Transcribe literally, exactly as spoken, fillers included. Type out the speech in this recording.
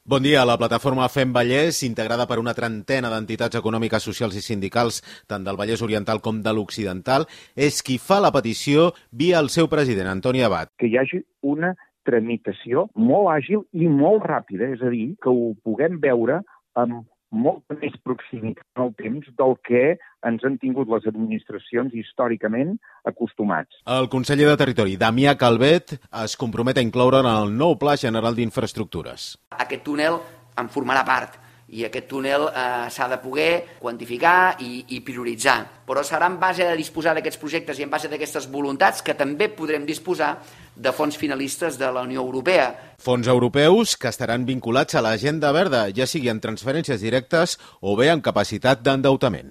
Bon dia. La plataforma Fem Vallès, integrada per una trentena d'entitats econòmiques, socials i sindicals, tant del Vallès Oriental com de l'Occidental, és qui fa la petició via el seu president, Antoni Abat. Que hi hagi una tramitació molt àgil i molt ràpida, és a dir, que ho puguem veure amb molta més proximitat en el temps del que ens han tingut les administracions històricament acostumats. El conseller de Territori, Damià Calvet, es compromet a incloure en el nou Pla General d'Infraestructures. Aquest túnel en formarà part i aquest túnel eh, s'ha de poder quantificar i, i prioritzar. Però serà en base a disposar d'aquests projectes i en base d'aquestes voluntats que també podrem disposar de fons finalistes de la Unió Europea. Fons europeus que estaran vinculats a l'agenda verda, ja sigui en transferències directes o bé amb capacitat d'endeutament.